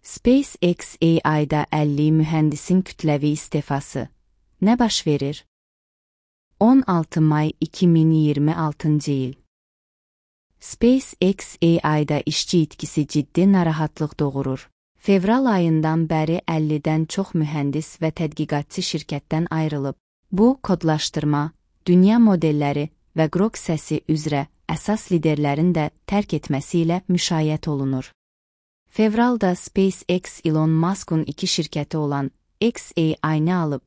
SpaceX AI-da 50 mühəndisin kütləvi istifası. Nə baş verir? 16 may 2026-cı il. SpaceX AI-da işçi itkisi ciddi narahatlıq doğurur. Fevral ayından bəri 50-dən çox mühəndis və tədqiqatçı şirkətdən ayrılıb. Bu, kodlaşdırma, dünya modelləri və Grok səsi üzrə əsas liderlərin də tərk etməsi ilə müşayiət olunur. Fevralda SpaceX Elon Musk'un iki şirkəti olan xAI-ni alıb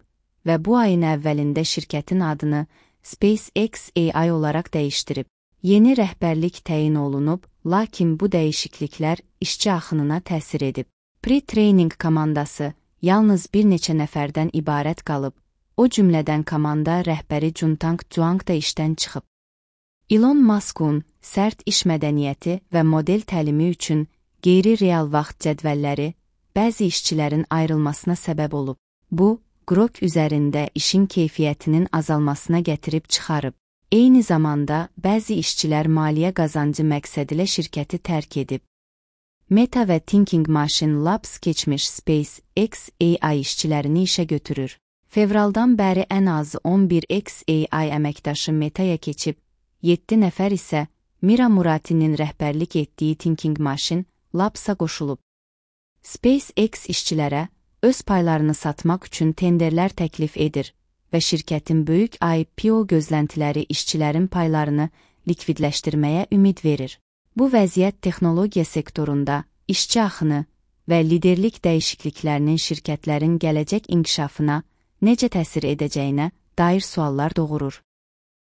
və bu ayın əvvəlində şirkətin adını SpaceX AI olaraq dəyişdirib. Yeni rəhbərlik təyin olunub, lakin bu dəyişikliklər işçi axınına təsir edib. Pre-training komandası yalnız bir neçə nəfərdən ibarət qalıb, o cümlədən komanda rəhbəri Juntang Zhuang da işdən çıxıb. Elon Musk'un sərt iş mədəniyyəti və model təlimi üçün qeyri-real vaxt cədvəlləri bəzi işçilərin ayrılmasına səbəb olub. Bu, Grok üzərində işin keyfiyyətinin azalmasına gətirib çıxarıb. Eyni zamanda bəzi işçilər maliyyə qazancı məqsədilə şirkəti tərk edib. Meta və Thinking Machine Labs keçmiş SpaceX AI işçilərini işə götürür. Fevraldan bəri ən azı 11 xAI əməkdaşı Meta'ya keçib, 7 nəfər isə Mira Murati'nin rəhbərlik etdiyi Thinking Machine Labs'a qoşulub. SpaceX işçilərə öz paylarını satmaq üçün tenderlər təklif edir və şirkətin böyük IPO gözləntiləri işçilərin paylarını likvidləşdirməyə ümid verir. Bu vəziyyət texnologiya sektorunda işçi axını və liderlik dəyişikliklərinin şirkətlərin gələcək inkişafına necə təsir edəcəyinə dair suallar doğurur.